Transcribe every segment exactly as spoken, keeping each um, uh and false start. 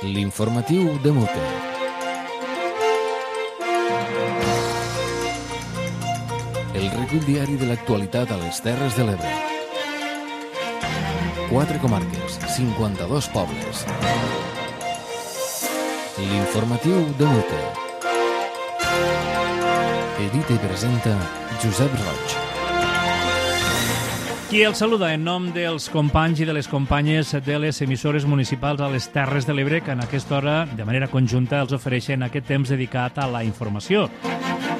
L'informatiu de Mute. El recull diari de l'actualitat a les Terres de l'Ebre. Quatre comarques, cinquanta-dos pobles. L'informatiu de Mute. Edita i presenta Josep Roig. Qui el saluda en nom dels companys i de les companyes de les emissores municipals a les Terres de l'Ebre, que en aquesta hora, de manera conjunta, els ofereixen aquest temps dedicat a la informació.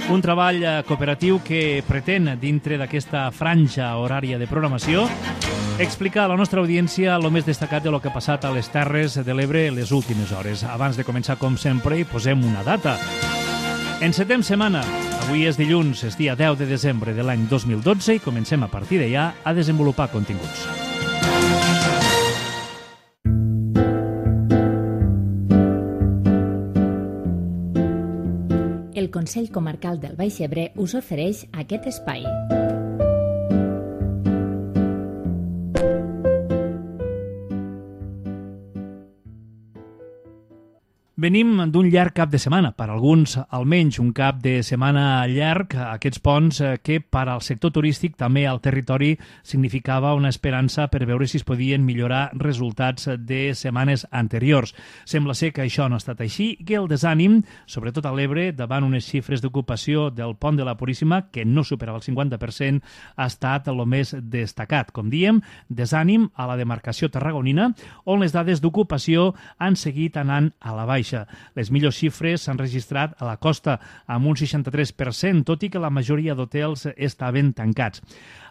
Un treball cooperatiu que pretén, dintre d'aquesta franja horària de programació, explicar a la nostra audiència el més destacat de lo que ha passat a les Terres de l'Ebre les últimes hores. Abans de començar, com sempre, hi posem una data. Encetem setmana. Avui és dilluns, és dia deu de desembre de l'any dos mil dotze i comencem a partir d'allà a desenvolupar continguts. El Consell Comarcal del Baix Ebre us ofereix aquest espai. Venim d'un llarg cap de setmana, per alguns almenys un cap de setmana llarg, aquests ponts que per al sector turístic, també al territori, significava una esperança per veure si es podien millorar resultats de setmanes anteriors. Sembla ser que això no ha estat així i que el desànim, sobretot a l'Ebre, davant unes xifres d'ocupació del pont de la Puríssima, que no superava el cinquanta per cent, ha estat el més destacat. Com diem, desànim a la demarcació tarragonina, on les dades d'ocupació han seguit anant a la baixa. Les millors xifres s'han registrat a la costa amb un seixanta-tres per cent, tot i que la majoria d'hotels estaven tancats.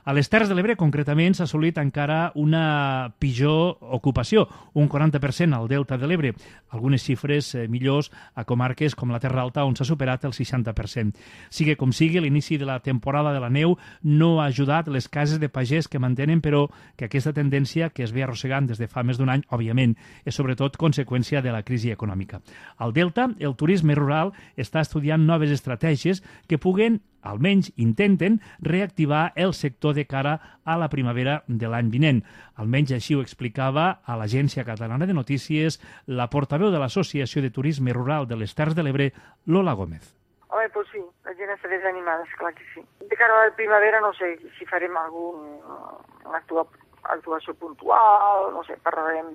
A les Terres de l'Ebre, concretament, s'ha assolit encara una pitjor ocupació, un quaranta per cent al Delta de l'Ebre. Algunes xifres millors a comarques com la Terra Alta, on s'ha superat el seixanta per cent. Sigui com sigui, l'inici de la temporada de la neu no ha ajudat les cases de pagès que mantenen, però que aquesta tendència que es ve arrossegant des de fa més d'un any, òbviament, és sobretot conseqüència de la crisi econòmica. Al Delta, el turisme rural està estudiant noves estratègies que puguen, almenys intenten, reactivar el sector de cara a la primavera de l'any vinent. Almenys així ho explicava a l'Agència Catalana de Notícies la portaveu de l'Associació de Turisme Rural de les Terres de l'Ebre, Lola Gómez. Home, doncs sí, la gent està desanimada, esclar que sí. De cara a la primavera no sé si farem alguna actuació puntual, no sé, parlarem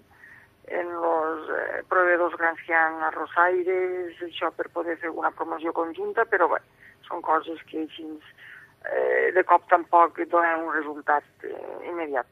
en els eh, proveïdors grans que hi ha a Rosaires, això per poder fer una promoció conjunta, però bé, són coses que així eh, de cop tampoc donen un resultat eh, immediat.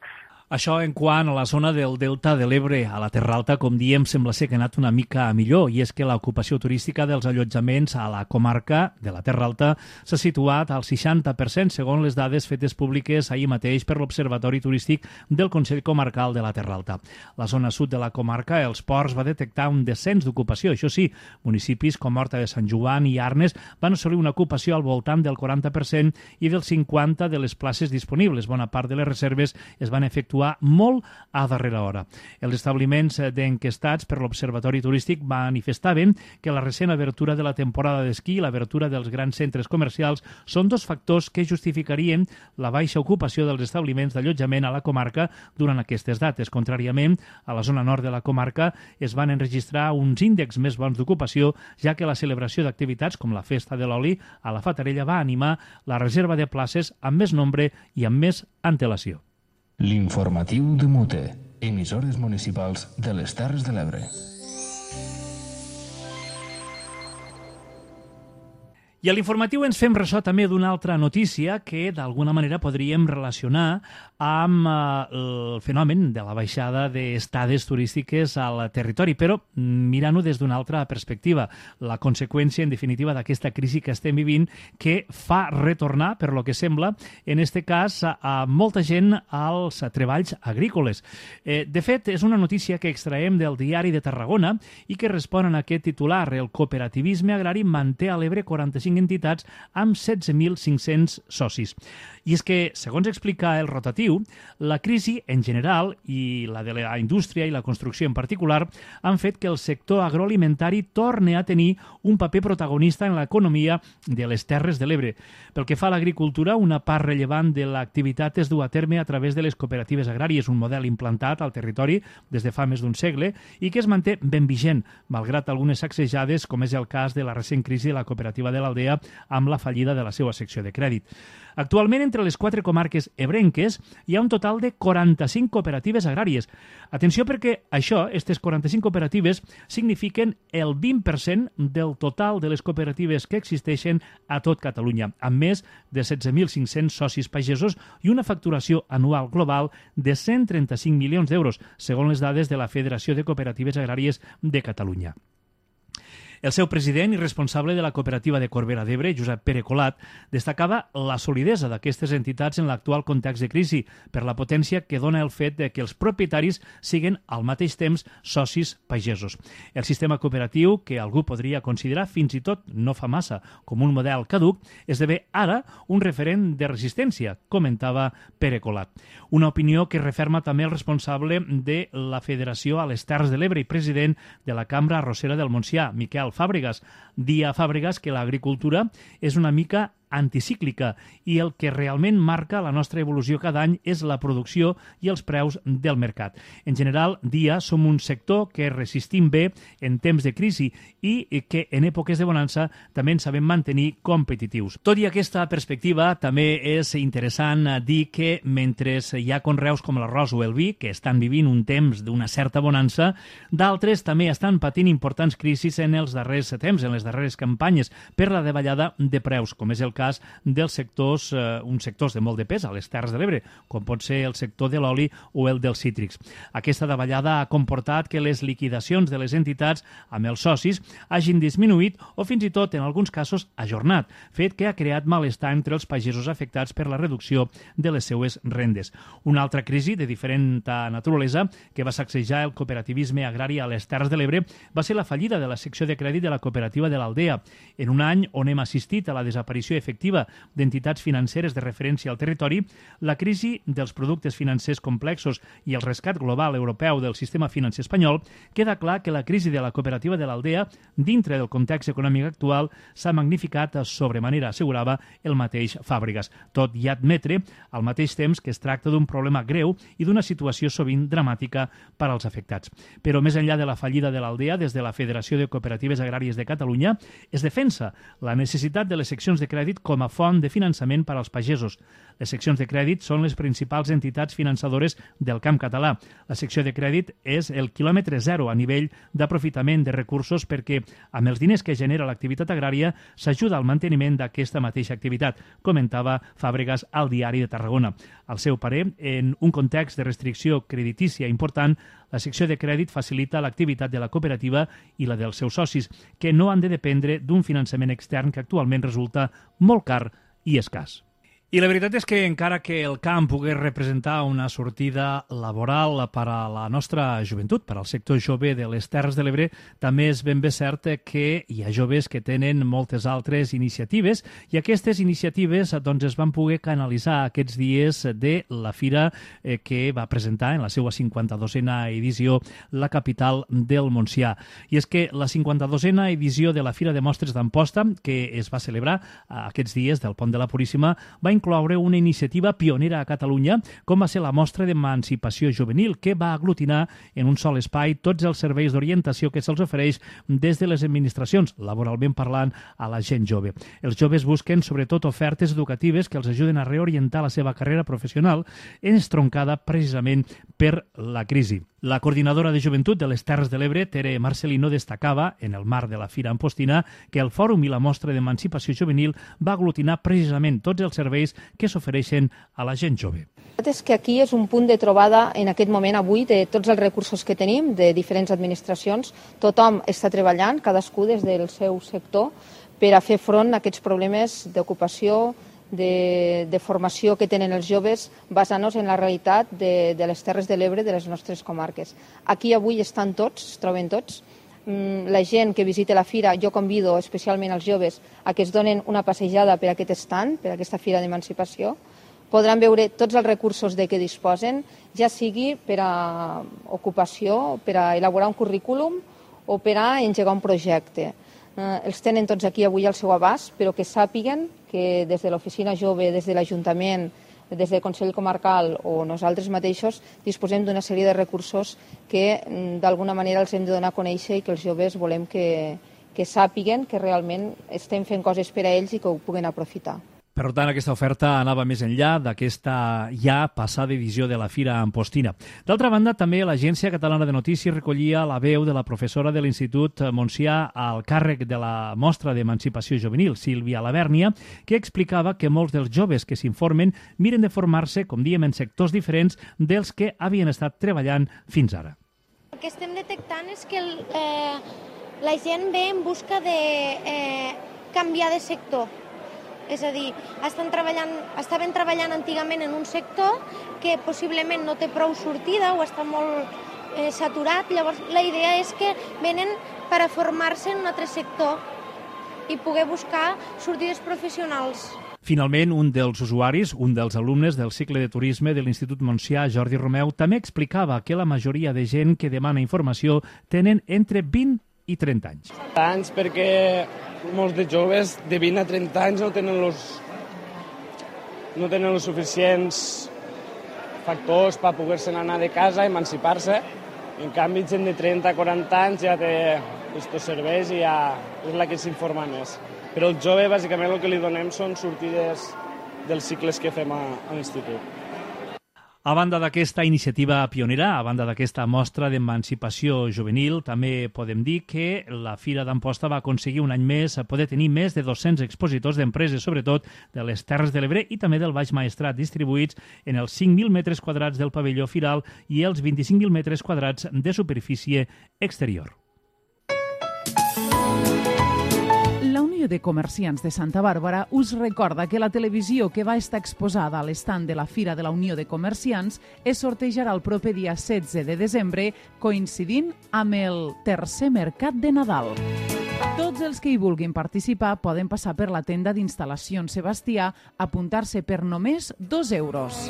Això en quant a la zona del Delta de l'Ebre. A la Terra Alta, com diem, sembla ser que ha anat una mica millor, i és que l'ocupació turística dels allotjaments a la comarca de la Terra Alta s'ha situat al seixanta per cent, segons les dades fetes públiques ahir mateix per l'Observatori Turístic del Consell Comarcal de la Terra Alta. La zona sud de la comarca, els ports, va detectar un descens d'ocupació. Això sí, municipis com Horta de Sant Joan i Arnes van assolir una ocupació al voltant del quaranta per cent i del cinquanta per cent de les places disponibles. Bona part de les reserves es van efectuar molt a darrera hora. Els establiments d'enquestats per l'Observatori Turístic manifestaven que la recent obertura de la temporada d'esquí i l'obertura dels grans centres comercials són dos factors que justificarien la baixa ocupació dels establiments d'allotjament a la comarca durant aquestes dates. Contràriament, a la zona nord de la comarca es van enregistrar uns índexs més bons d'ocupació, ja que la celebració d'activitats com la Festa de l'Oli a la Fatarella va animar la reserva de places amb més nombre i amb més antelació. L'informatiu de Mute. Emissores municipals de les Terres de l'Ebre. I a l'informatiu ens fem ressò també d'una altra notícia que d'alguna manera podríem relacionar amb eh, el fenomen de la baixada d'estades turístiques al territori, però mirant-ho des d'una altra perspectiva. La conseqüència, en definitiva, d'aquesta crisi que estem vivint, que fa retornar, per lo que sembla, en este cas, a, a molta gent als treballs agrícoles. Eh, de fet, és una notícia que extraem del Diari de Tarragona i que respon a aquest titular. El cooperativisme agrari manté a l'Ebre quaranta-cinc entitats amb setze mil cinc-cents socis. I és que, segons explica el rotatiu, la crisi en general i la de la indústria i la construcció en particular han fet que el sector agroalimentari torni a tenir un paper protagonista en l'economia de les Terres de l'Ebre. Pel que fa a l'agricultura, una part rellevant de l'activitat es du a terme a través de les cooperatives agràries, un model implantat al territori des de fa més d'un segle i que es manté ben vigent, malgrat algunes sacsejades, com és el cas de la recent crisi de la cooperativa de l'Aldea amb la fallida de la seva secció de crèdit. Actualment, entre les quatre comarques ebrenques, hi ha un total de quaranta-cinc cooperatives agràries. Atenció perquè això, aquestes quaranta-cinc cooperatives, signifiquen el vint per cent del total de les cooperatives que existeixen a tot Catalunya, amb més de setze mil cinc-cents socis pagesos i una facturació anual global de cent trenta-cinc milions d'euros, segons les dades de la Federació de Cooperatives Agràries de Catalunya. El seu president i responsable de la cooperativa de Corbera d'Ebre, Josep Pere Colat, destacava la solidesa d'aquestes entitats en l'actual context de crisi per la potència que dona el fet de que els propietaris siguin al mateix temps socis pagesos. El sistema cooperatiu, que algú podria considerar fins i tot no fa massa com un model caduc, esdevé ara un referent de resistència, comentava Pere Colat. Una opinió que referma també el responsable de la Federació a les Terres de l'Ebre i president de la Cambra Arrossera del Montsià, Miquel Fàbregas. Dia Fàbregas que l'agricultura és una mica anticíclica i el que realment marca la nostra evolució cada any és la producció i els preus del mercat. En general, dia som un sector que resistim bé en temps de crisi i que en èpoques de bonança també ens sabem mantenir competitius. Tot i aquesta perspectiva, també és interessant dir que mentre hi ha conreus com l'arròs o el vi, que estan vivint un temps d'una certa bonança, d'altres també estan patint importants crisis en els darrers temps, en les darreres campanyes, per la davallada de preus, com és el cas cas dels sectors, eh, uns sectors de molt de pes a les Terres de l'Ebre, com pot ser el sector de l'oli o el dels cítrics. Aquesta davallada ha comportat que les liquidacions de les entitats amb els socis hagin disminuït o fins i tot, en alguns casos, ajornat, fet que ha creat malestar entre els pagesos afectats per la reducció de les seues rendes. Una altra crisi de diferent naturalesa que va sacsejar el cooperativisme agrari a les Terres de l'Ebre va ser la fallida de la secció de crèdit de la cooperativa de l'Aldea. En un any on hem assistit a la desaparició efectiva d'entitats financeres de referència al territori, la crisi dels productes financers complexos i el rescat global europeu del sistema financer espanyol, queda clar que la crisi de la cooperativa de l'Aldea, dintre del context econòmic actual, s'ha magnificat sobremanera, assegurava el mateix Fàbregas, tot i admetre al mateix temps que es tracta d'un problema greu i d'una situació sovint dramàtica per als afectats. Però més enllà de la fallida de l'Aldea, des de la Federació de Cooperatives Agràries de Catalunya, es defensa la necessitat de les seccions de crèdit com a font de finançament per als pagesos. Les seccions de crèdit són les principals entitats finançadores del camp català. La secció de crèdit és el quilòmetre zero a nivell d'aprofitament de recursos perquè amb els diners que genera l'activitat agrària s'ajuda al manteniment d'aquesta mateixa activitat, comentava Fàbregas al Diari de Tarragona. Al seu parer, en un context de restricció creditícia important, la secció de crèdit facilita l'activitat de la cooperativa i la dels seus socis, que no han de dependre d'un finançament extern que actualment resulta molt car i escàs. I la veritat és que encara que el camp pogués representar una sortida laboral per a la nostra joventut, per al sector jove de les Terres de l'Ebre, també és ben bé cert que hi ha joves que tenen moltes altres iniciatives i aquestes iniciatives doncs, es van poder canalitzar aquests dies de la fira eh, que va presentar en la seva cinquanta-dosena edició la capital del Montsià. I és que la cinquanta-dosena edició de la Fira de Mostres d'Amposta, que es va celebrar aquests dies del Pont de la Puríssima, va incloure una iniciativa pionera a Catalunya, com va ser la Mostra d'Emancipació Juvenil, que va aglutinar en un sol espai tots els serveis d'orientació que se'ls ofereix des de les administracions, laboralment parlant, a la gent jove. Els joves busquen, sobretot, ofertes educatives que els ajuden a reorientar la seva carrera professional, estroncada precisament per la crisi. La coordinadora de joventut de les Terres de l'Ebre, Tere Marcelino, destacava, en el marc de la Fira Ampostina, que el Fòrum i la Mostra d'Emancipació Juvenil va aglutinar precisament tots els serveis que s'ofereixen a la gent jove. És que aquí és un punt de trobada en aquest moment avui de tots els recursos que tenim de diferents administracions. Tothom està treballant, cadascú des del seu sector, per a fer front a aquests problemes d'ocupació, De, de formació que tenen els joves basant-nos en la realitat de, de les Terres de l'Ebre, de les nostres comarques. Aquí avui estan tots, es troben tots. La gent que visita la fira, jo convido especialment als joves a que es donen una passejada per aquest estand, per aquesta fira d'emancipació, podran veure tots els recursos de què disposen, ja sigui per a ocupació, per a elaborar un currículum o per a engegar un projecte. Eh, els tenen tots aquí avui al seu abast, però que sàpiguen que des de l'Oficina Jove, des de l'Ajuntament, des del Consell Comarcal o nosaltres mateixos disposem d'una sèrie de recursos que d'alguna manera els hem de donar a conèixer i que els joves volem que, que sàpiguen que realment estem fent coses per a ells i que ho puguen aprofitar. Per tant, aquesta oferta anava més enllà d'aquesta ja passada edició de la Fira Ampostina. D'altra banda, també l'Agència Catalana de Notícies recollia la veu de la professora de l'Institut Montsià al càrrec de la mostra d'emancipació juvenil, Sílvia Lavèrnia, que explicava que molts dels joves que s'informen miren de formar-se, com diem, en sectors diferents dels que havien estat treballant fins ara. El que estem detectant és que el, eh, la gent ve en busca de eh, canviar de sector. És a dir, estan treballant, estaven treballant antigament en un sector que possiblement no té prou sortida o està molt eh, saturat. Llavors, la idea és que venen per a formar-se en un altre sector i poder buscar sortides professionals. Finalment, un dels usuaris, un dels alumnes del cicle de turisme de l'Institut Montsià, Jordi Romeu, també explicava que la majoria de gent que demana informació tenen entre vint i trenta anys. Anys perquè molts de joves de vint a trenta anys no tenen los, no tenen els suficients factors per poder-se anar de casa, emancipar-se. En canvi, gent de trenta a quaranta anys ja té aquests serveis i ja és la que s'informa més. Però el jove, bàsicament, el que li donem són sortides dels cicles que fem a, a l'institut. A banda d'aquesta iniciativa pionera, a banda d'aquesta mostra d'emancipació juvenil, també podem dir que la Fira d'Amposta va aconseguir un any més poder tenir més de dos-cents expositors d'empreses, sobretot de les Terres de l'Ebre i també del Baix Maestrat, distribuïts en els cinc mil metres quadrats del pavelló firal i els vint-i-cinc mil metres quadrats de superfície exterior. La Unió de Comerciants de Santa Bàrbara us recorda que la televisió que va estar exposada a l'estand de la Fira de la Unió de Comerciants es sortejarà el proper dia setze de desembre, coincidint amb el tercer mercat de Nadal. Tots els que hi vulguin participar poden passar per la tenda d'instal·lacions Sebastià, apuntar-se per només dos euros.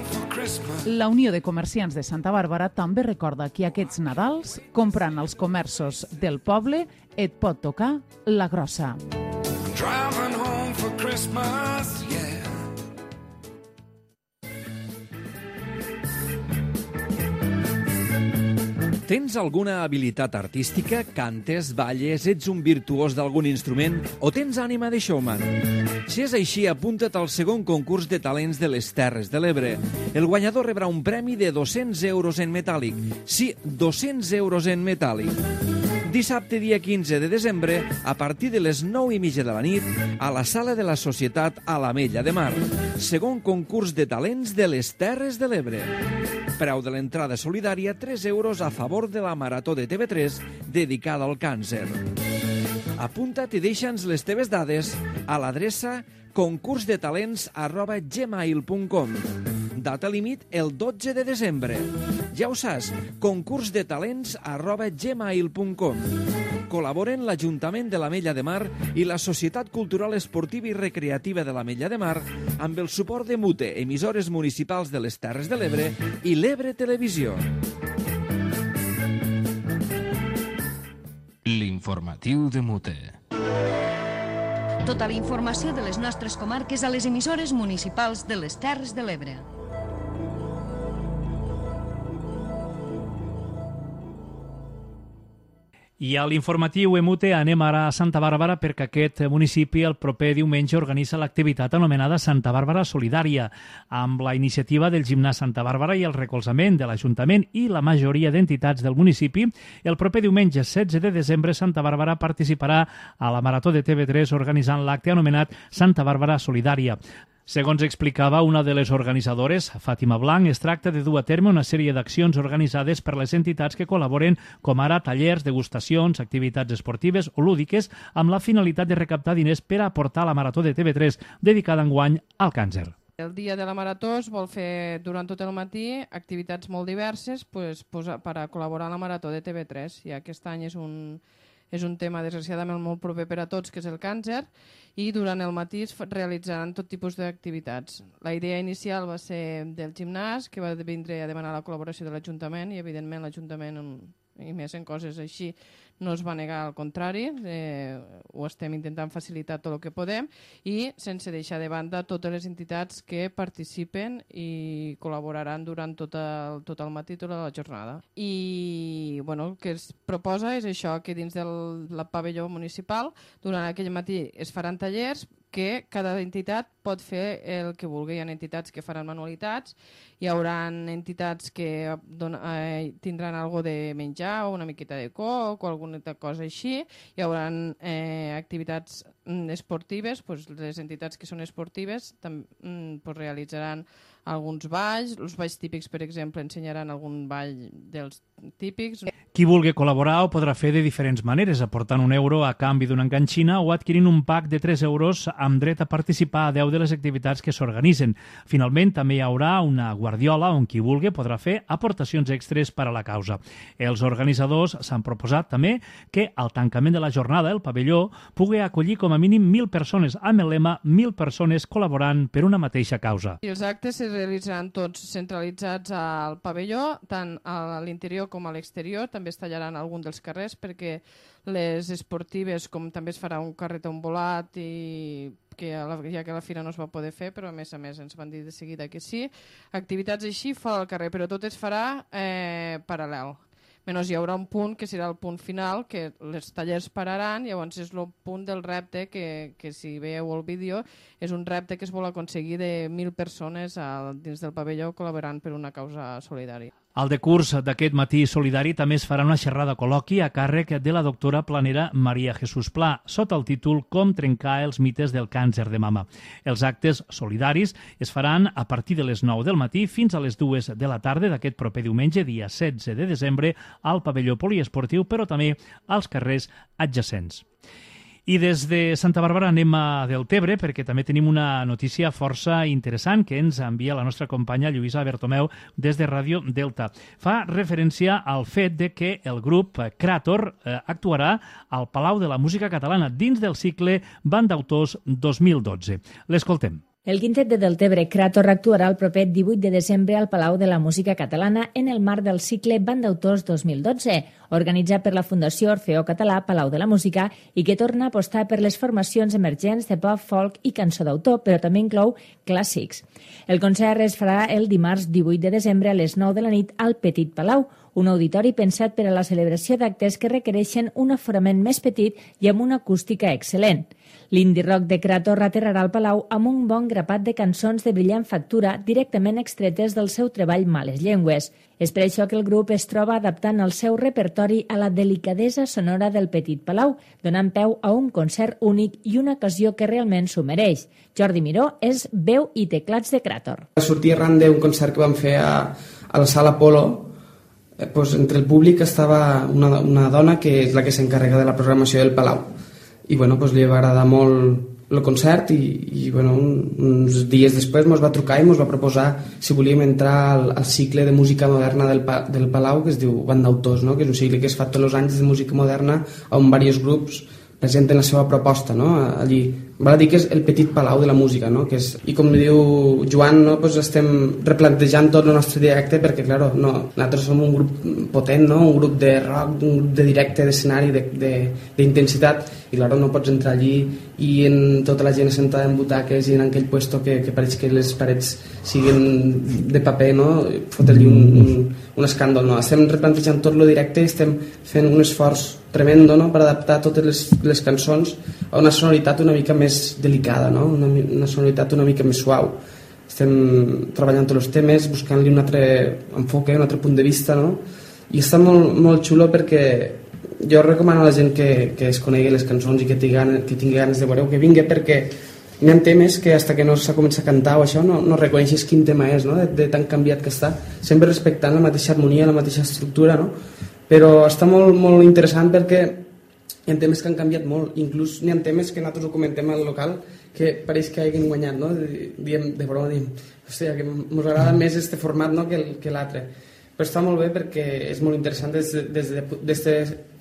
La Unió de Comerciants de Santa Bàrbara també recorda que aquests Nadals, comprant als comerços del poble, et pot tocar la grossa. Driving home for Christmas, yeah. Tens alguna habilitat artística? Cantes, balles, ets un virtuós d'algun instrument o tens ànima de showman? Si és així, apunta't al segon concurs de talents de les Terres de l'Ebre. El guanyador rebrà un premi de dos-cents euros en metàl·lic. Sí, dos-cents euros en metàl·lic. Dissabte, dia quinze de desembre, a partir de les nou i mitja de la nit, a la Sala de la Societat a l'Ametlla de Mar. Segon concurs de talents de les Terres de l'Ebre. Preu de l'entrada solidària, tres euros a favor de la Marató de T V tres dedicada al càncer. Apunta't i deixa'ns les teves dades a l'adreça concursdetalents arroba gmail punt com. Data límit el dotze de desembre. Ja ho saps, concursdetalents arroba gmail punt com. Col·laboren l'Ajuntament de l'Ametlla de Mar i la Societat Cultural Esportiva i Recreativa de l'Ametlla de Mar amb el suport de Mute, emissores municipals de les Terres de l'Ebre i l'Ebre Televisió. L'informatiu de Mute. Tota la informació de les nostres comarques a les emissores municipals de les Terres de l'Ebre. I a l'informatiu Emute anem ara a Santa Bàrbara perquè aquest municipi el proper diumenge organitza l'activitat anomenada Santa Bàrbara Solidària, amb la iniciativa del Gimnàs Santa Bàrbara i el recolzament de l'Ajuntament i la majoria d'entitats del municipi. El proper diumenge setze de desembre Santa Bàrbara participarà a la Marató de T V tres organitzant l'acte anomenat Santa Bàrbara Solidària. Segons explicava una de les organitzadores, Fàtima Blanc, es tracta de dur a terme una sèrie d'accions organitzades per les entitats que col·laboren, com ara tallers, degustacions, activitats esportives o lúdiques, amb la finalitat de recaptar diners per a aportar a la Marató de T V tres, dedicada enguany al càncer. El dia de la Marató es vol fer durant tot el matí activitats molt diverses pues, pues, per a col·laborar a la Marató de T V tres. I aquest any és un, és un tema desgraciadament molt proper per a tots, que és el càncer, i durant el matí es realitzaran tot tipus d'activitats. La idea inicial va ser del gimnàs, que va vindre a demanar la col·laboració de l'Ajuntament, i evidentment l'Ajuntament, i més en coses així, no es va negar, al contrari, eh, ho estem intentant facilitar tot el que podem, i sense deixar de banda totes les entitats que participen i col·laboraran durant tot el, tot el matí, tota la jornada. I bueno, el que es proposa és això, que dins del pavelló municipal, durant aquell matí es faran tallers que cada entitat pot fer el que vulgui. Hi ha entitats que faran manualitats, hi haurà entitats que don, eh, tindran algo de menjar o una miqueta de coc o alguna cosa així, hi haurà eh, activitats esportives, pues, les entitats que són esportives tam, pues, realitzaran alguns balls, els balls típics, per exemple, ensenyaran algun ball dels típics. Qui vulgui col·laborar ho podrà fer de diferents maneres, aportant un euro a canvi d'una enganxina o adquirint un pack de tres euros amb dret a participar a deu de les activitats que s'organitzen. Finalment, també hi haurà una guardiola on qui vulgui podrà fer aportacions extres per a la causa. Els organitzadors s'han proposat també que al tancament de la jornada el pavelló pugui acollir com a mínim mil persones, amb el lema mil persones col·laborant per una mateixa causa. I els actes es realitzaran tots centralitzats al pavelló, tant a l'interior com a l'exterior. També es tallaran algun dels carrers perquè les esportives, com també es farà un carret volat, i que a la, ja que a la fira no es va poder fer, però a més a més ens van dir de seguida que sí. Activitats així fora del carrer, però tot es farà eh, paral·lel. Menys hi haurà un punt que serà el punt final, que els tallers pararan, llavors és el punt del repte que, que si veieu el vídeo, és un repte que es vol aconseguir de mil persones a, dins del pavelló col·laborant per una causa solidària. Al decurs d'aquest matí solidari també es farà una xerrada col·loqui a càrrec de la doctora planera Maria Jesús Pla, sota el títol Com trencar els mites del càncer de mama. Els actes solidaris es faran a partir de les nou del matí fins a les dues de la tarda d'aquest proper diumenge, dia setze de desembre, al pavelló poliesportiu, però també als carrers adjacents. I des de Santa Bàrbara anem a Deltebre, perquè també tenim una notícia força interessant que ens envia la nostra companya Lluïsa Bertomeu des de Ràdio Delta. Fa referència al fet de que el grup Krator eh, actuarà al Palau de la Música Catalana dins del cicle Bandautors dos mil dotze. L'escoltem. El quintet de Deltebre Krator actuarà el proper divuit de desembre al Palau de la Música Catalana en el marc del cicle Bandautors dos mil dotze, organitzat per la Fundació Orfeó Català Palau de la Música i que torna a apostar per les formacions emergents de pop, folk i cançó d'autor, però també inclou clàssics. El concert es farà el dimarts divuit de desembre a les nou de la nit al Petit Palau, un auditori pensat per a la celebració d'actes que requereixen un aforament més petit i amb una acústica excel·lent. L'indie rock de Krator aterrarà al Palau amb un bon grapat de cançons de brillant factura directament extretes del seu treball Males Llengües. És per això que el grup es troba adaptant el seu repertori a la delicadesa sonora del Petit Palau, donant peu a un concert únic i una ocasió que realment s'ho mereix. Jordi Miró és veu i teclats de Krator. Va sortir arran d'un concert que vam fer a, a la Sala Polo. Eh, pues, entre el públic estava una, una dona que és la que s'encarrega de la programació del Palau. I bueno, pues, li va agradar molt el concert i, i bueno, un, uns dies després ens va trucar i ens va proposar si volíem entrar al, al cicle de música moderna del, del Palau, que es diu Bandautors, no? Que és un cicle que es fa tots els anys de música moderna on diversos grups presenten la seva proposta, no? Allí val a dir que és el Petit Palau de la música, no? Que és, i com diu Joan, no? Pues estem replantejant tot el nostre directe perquè, clar, no, nosaltres som un grup potent, no? Un grup de rock, un grup de directe, d'escenari, d'intensitat, i clar, no pots entrar allí i en tota la gent sentada en butaques i en aquell puesto que, que pareix que les parets siguin de paper, no? Fotre-li un, un, un escàndol, no? Estem replantejant tot el directe, estem fent un esforç tremendo, no? Per adaptar totes les, les cançons a una sonoritat una mica més delicada, no? una, una sonoritat una mica més suau. Estem treballant tots els temes, buscant-li un altre enfoque, un altre punt de vista, no? I està molt, molt xulo perquè jo recomano a la gent que, que es conegui les cançons i que tingui, que tingui ganes de veure que vingui, perquè hi ha temes que fins que no s'ha començat a cantar o això no, no reconeixes quin tema és, no? de, de tan canviat que està, sempre respectant la mateixa harmonia, la mateixa estructura, no? Però està molt, molt interessant perquè hi ha temes que han canviat molt, inclús n'hi ha temes que nosaltres ho comentem al local que pareix que hagin guanyat, no? Diem, de broma, diem, hòstia, que ens agrada més este format, no? que, que l'altre. Però està molt bé perquè és molt interessant des, des, des de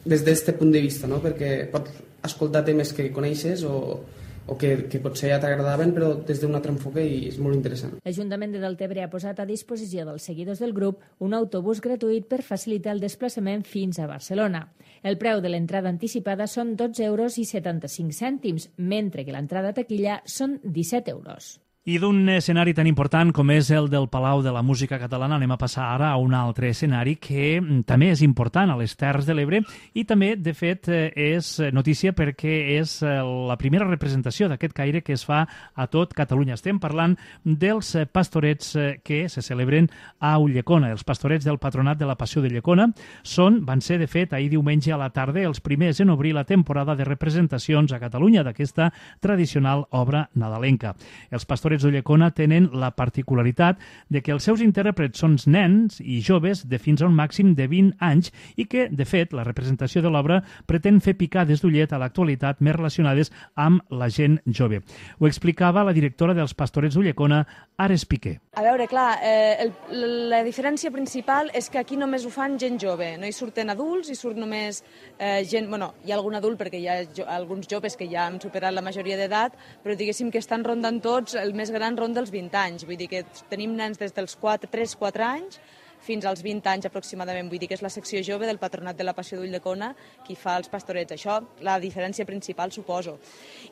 des d'aquest punt de vista, no? Perquè pots escoltar temes que coneixes o, o que, que potser ja t'agradaven, però des d'un altre enfoque, i és molt interessant. L'Ajuntament de Deltebre ha posat a disposició dels seguidors del grup un autobús gratuït per facilitar el desplaçament fins a Barcelona. El preu de l'entrada anticipada són dotze euros i setanta-cinc cèntims, mentre que l'entrada a taquilla són disset euros. I d'un escenari tan important com és el del Palau de la Música Catalana anem a passar ara a un altre escenari que també és important a les Terres de l'Ebre i també, de fet, és notícia perquè és la primera representació d'aquest caire que es fa a tot Catalunya. Estem parlant dels pastorets que se celebren a Ulldecona. Els pastorets del Patronat de la Passió de Llecona són, van ser, de fet, ahir diumenge a la tarda els primers en obrir la temporada de representacions a Catalunya d'aquesta tradicional obra nadalenca. Els pastorets d'Ulldecona tenen la particularitat de que els seus intèrprets són nens i joves de fins a un màxim de vint anys i que, de fet, la representació de l'obra pretén fer picades d'ullet a l'actualitat més relacionades amb la gent jove. Ho explicava la directora dels pastorets d'Ulldecona, Ares Piqué. A veure, clar, eh, el, la diferència principal és que aquí només ho fan gent jove, no hi surten adults, hi surt només eh, gent... Bueno, hi ha algun adult perquè hi ha jo, alguns joves que ja han superat la majoria d'edat, però diguéssim que estan rondant tots el més gran ronda dels vint anys, vull dir que tenim nens des dels tres quatre anys fins als vint anys aproximadament, vull dir que és la secció jove del Patronat de la Passió d'Ulldecona qui fa els pastorets. Això, la diferència principal, suposo.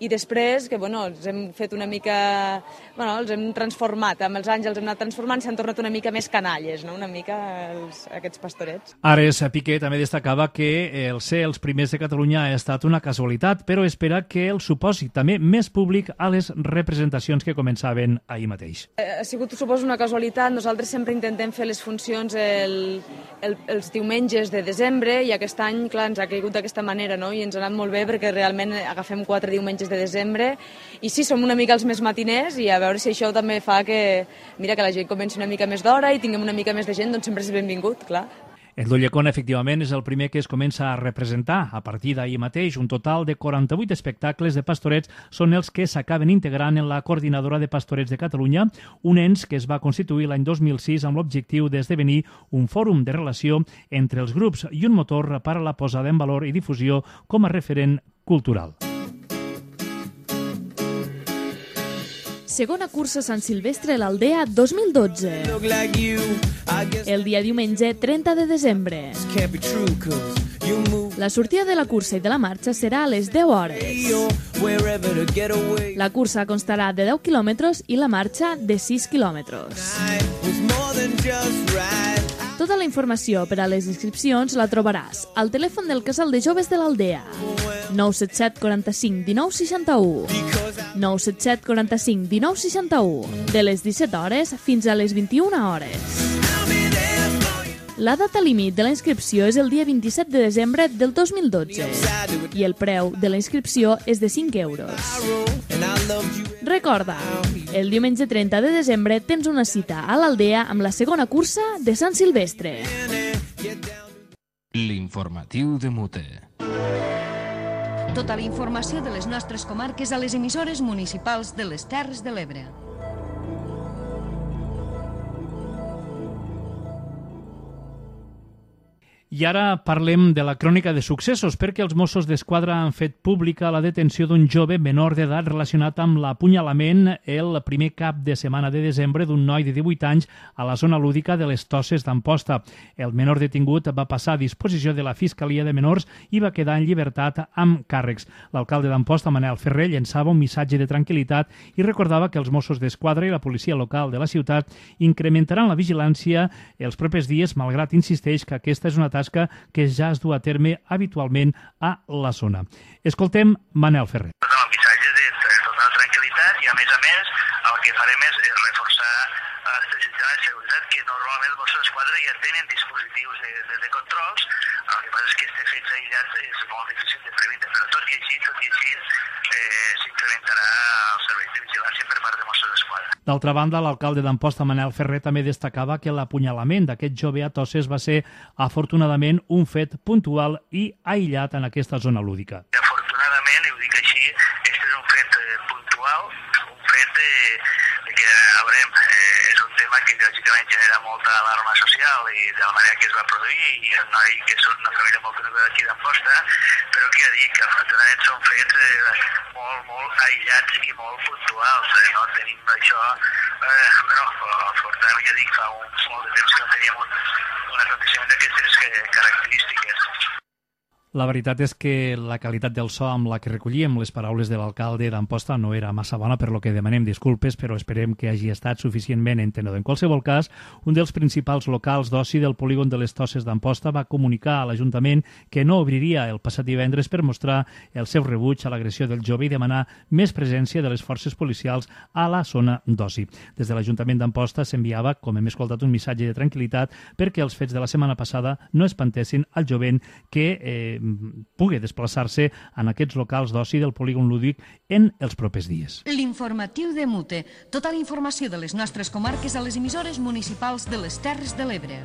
I després, que bueno, els hem fet una mica... Bueno, els hem transformat, amb els anys els hem anat transformant, s'han tornat una mica més canalles, no? Una mica els, aquests pastorets. Ares Piqué també destacava que el ser els primers de Catalunya ha estat una casualitat, però espera que el suposi també més públic a les representacions que començaven ahir mateix. Ha sigut, suposo, una casualitat. Nosaltres sempre intentem fer les funcions El, el, els diumenges de desembre i aquest any, clar, ens ha caigut d'aquesta manera, no? I ens ha anat molt bé perquè realment agafem quatre diumenges de desembre i sí, som una mica els més matiners i a veure si això també fa que, mira, que la gent comenci una mica més d'hora i tinguem una mica més de gent, doncs sempre és benvingut, clar. El d'Ulldecona, efectivament, és el primer que es comença a representar. A partir d'ahir mateix, un total de quaranta-vuit espectacles de pastorets són els que s'acaben integrant en la Coordinadora de Pastorets de Catalunya, un ens que es va constituir l'any dos mil sis amb l'objectiu d'esdevenir un fòrum de relació entre els grups i un motor per a la posada en valor i difusió com a referent cultural. Segona cursa Sant Silvestre a l'Aldea dos mil dotze. El dia diumenge trenta de desembre. La sortida de la cursa i de la marxa serà a les deu hores. La cursa constarà de deu quilòmetres i la marxa de sis quilòmetres. Tota la informació per a les inscripcions la trobaràs al telèfon del Casal de Joves de l'Aldea. nou set set quaranta-cinc dinou seixanta-u. nou set set quaranta-cinc dinou seixanta-u. De les disset hores fins a les vint-i-una hores. La data límit de la inscripció és el dia vint-i-set de desembre del dos mil dotze i el preu de la inscripció és de cinc euros. Recorda, el diumenge trenta de desembre tens una cita a l'Aldea amb la segona cursa de Sant Silvestre. L'informatiu de Mute. Tota la informació de les nostres comarques a les emissores municipals de les Terres de l'Ebre. I ara parlem de la crònica de successos, perquè els Mossos d'Esquadra han fet pública la detenció d'un jove menor d'edat relacionat amb l'apunyalament el primer cap de setmana de desembre d'un noi de divuit anys a la zona lúdica de les Tosses d'Amposta. El menor detingut va passar a disposició de la Fiscalia de Menors i va quedar en llibertat amb càrrecs. L'alcalde d'Amposta, Manel Ferrer, llençava un missatge de tranquil·litat i recordava que els Mossos d'Esquadra i la policia local de la ciutat incrementaran la vigilància els propers dies, malgrat insisteix que aquesta és una tasca que ja es du a terme habitualment a la zona. Escoltem Manel Ferrer. El missatge de total tranquil·litat i, a més a més, el que farem és reforçar el sistema de seguretat que normalment els Mossos d'Esquadra ja tenen dispositius de, de, de controls. El que passa és que aquests fets aïllats és molt difícil de prevenir, però tot i així, tot i així, eh, s'incrementarà el servei de vigilància per part de Mossos d'Esquadra. D'altra banda, l'alcalde d'Amposta, Manel Ferrer, també destacava que l'apunyalament d'aquest jove a Tosses va ser, afortunadament, un fet puntual i aïllat en aquesta zona lúdica. Afortunadament, i ho dic així, aquest és un fet eh, puntual, un fet de, de que, a veure, eh, és un tema tema que lògicament genera molta alarma social i de la manera que es va produir, i el noi que és una família molt coneguda d'aquí d'Amposta, però que ja dic que afortunadament són fets eh, molt, molt aïllats i molt puntuals, eh, no tenim això, eh, però afortunadament ja dic, fa un molt de temps que no teníem un, un aconteixement d'aquestes característiques. La veritat és que la qualitat del so amb la que recollíem les paraules de l'alcalde d'Amposta no era massa bona, per lo que demanem disculpes, però esperem que hagi estat suficientment entenedor. En qualsevol cas, un dels principals locals d'oci del polígon de les Tosses d'Amposta va comunicar a l'Ajuntament que no obriria el passat divendres per mostrar el seu rebuig a l'agressió del jove i demanar més presència de les forces policials a la zona d'oci. Des de l'Ajuntament d'Amposta s'enviava, com hem escoltat, un missatge de tranquil·litat perquè els fets de la setmana passada no espantessin al jovent que eh, pugui desplaçar-se en aquests locals d'oci del polígon lúdic en els propers dies. L'informatiu de Mute. Tota la informació de les nostres comarques a les emissores municipals de les Terres de l'Ebre.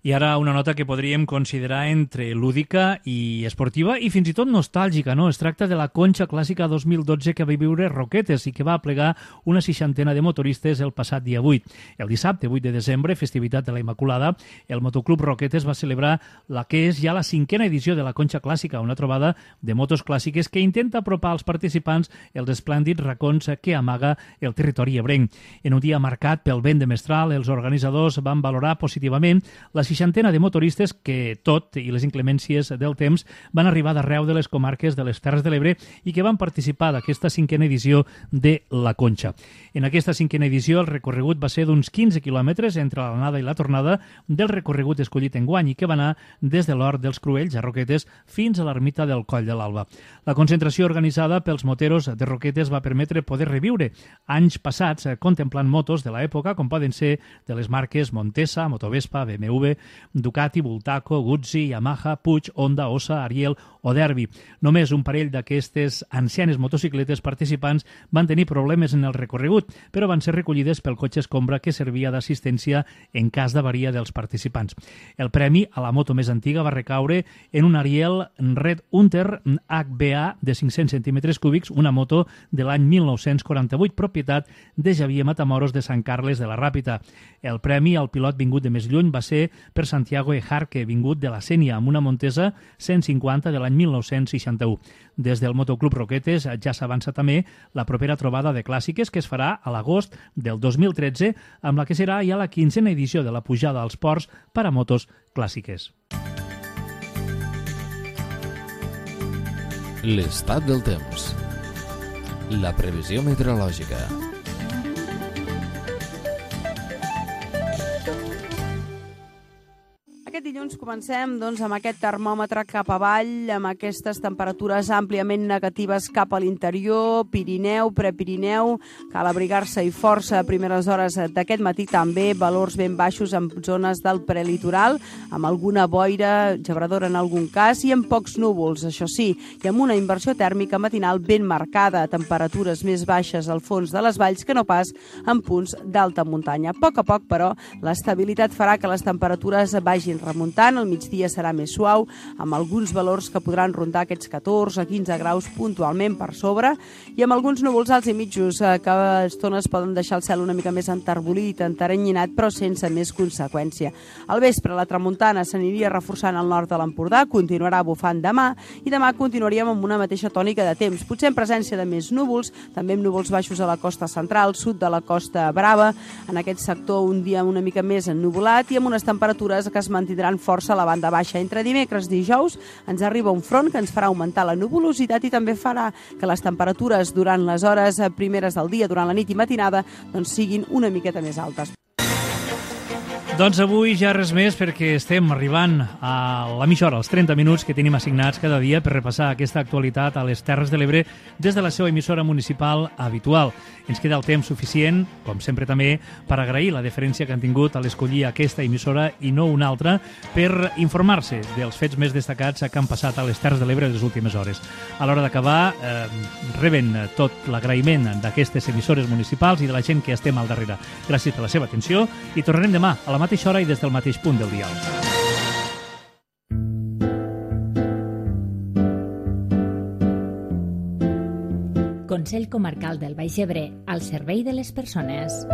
I ara una nota que podríem considerar entre lúdica i esportiva i fins i tot nostàlgica, no? Es tracta de la Conxa Clàssica dos mil dotze que va viure Roquetes i que va aplegar una seixantena de motoristes el passat dia vuit. El dissabte, vuit de desembre, festivitat de la Immaculada, el Motoclub Roquetes va celebrar la que és ja la cinquena edició de la Conxa Clàssica, una trobada de motos clàssiques que intenta apropar als participants els esplèndids racons que amaga el territori ebrenc. En un dia marcat pel vent de mestral, els organitzadors van valorar positivament la seixantena de motoristes que, tot i les inclemències del temps, van arribar d'arreu de les comarques de les Terres de l'Ebre i que van participar d'aquesta cinquena edició de la Conxa. En aquesta cinquena edició el recorregut va ser d'uns quinze quilòmetres entre l'anada i la tornada del recorregut escollit enguany i que va anar des de l'Hort dels Cruells a Roquetes fins a l'ermita del Coll de l'Alba. La concentració organitzada pels moteros de Roquetes va permetre poder reviure anys passats contemplant motos de l'època com poden ser de les marques Montesa, Motovespa, B M W, Ducati, Bultaco, Guzzi, Yamaha, Puig, Honda, Ossa, Ariel o Derbi. Només un parell d'aquestes ancianes motocicletes participants van tenir problemes en el recorregut, però van ser recollides pel cotxe escombra que servia d'assistència en cas d'avaria dels participants. El premi a la moto més antiga va recaure en un Ariel Red Hunter H B A de cinc-cents centímetres cúbics, una moto de l'any mil nou-cents quaranta-vuit, propietat de Xavier Matamoros de Sant Carles de la Ràpita. El premi al pilot vingut de més lluny va ser per Santiago Ejarque, vingut de la Sénia, amb una Montesa cent cinquanta de l'any mil nou-cents seixanta-u. Des del Motoclub Roquetes ja s'avança també la propera trobada de clàssiques que es farà a l'agost del dos mil tretze, amb la que serà ja la quinzena edició de la pujada als ports per a motos clàssiques. L'estat del temps. La previsió meteorològica. Aquest dilluns comencem doncs, amb aquest termòmetre cap avall, amb aquestes temperatures àmpliament negatives cap a l'interior, Pirineu, Prepirineu, cal abrigar-se i força a primeres hores d'aquest matí, també valors ben baixos en zones del prelitoral, amb alguna boira, gebradora en algun cas, i amb pocs núvols, això sí, i amb una inversió tèrmica matinal ben marcada, temperatures més baixes al fons de les valls que no pas en punts d'alta muntanya. A poc a poc, però, l'estabilitat farà que les temperatures vagin remuntant, el migdia serà més suau, amb alguns valors que podran rondar aquests catorze a quinze graus puntualment per sobre, i amb alguns núvols alts i mitjos eh, que a estones poden deixar el cel una mica més enterbolit, enteranyinat, però sense més conseqüència. Al vespre, la tramuntana s'aniria reforçant al nord de l'Empordà, continuarà bufant demà, i demà continuaríem amb una mateixa tònica de temps, potser en presència de més núvols, també amb núvols baixos a la costa central, sud de la Costa Brava, en aquest sector un dia una mica més ennuvolat i amb unes temperatures que es mantindran força a la banda baixa. Entre dimecres i dijous ens arriba un front que ens farà augmentar la nuvolositat i també farà que les temperatures durant les hores primeres del dia, durant la nit i matinada, doncs siguin una miqueta més altes. Doncs avui ja res més perquè estem arribant a la mitja hora, als trenta minuts que tenim assignats cada dia per repassar aquesta actualitat a les Terres de l'Ebre des de la seva emissora municipal habitual. Ens queda el temps suficient, com sempre també, per agrair la deferència que han tingut a l'escollir aquesta emissora i no una altra per informar-se dels fets més destacats que han passat a les Terres de l'Ebre les últimes hores. A l'hora d'acabar, eh, reben tot l'agraïment d'aquestes emissores municipals i de la gent que estem al darrere. Gràcies per la seva atenció i tornarem demà a la mateixa hora i des del mateix punt del dial. Consell Comarcal del Baix Ebre, al servei de les persones.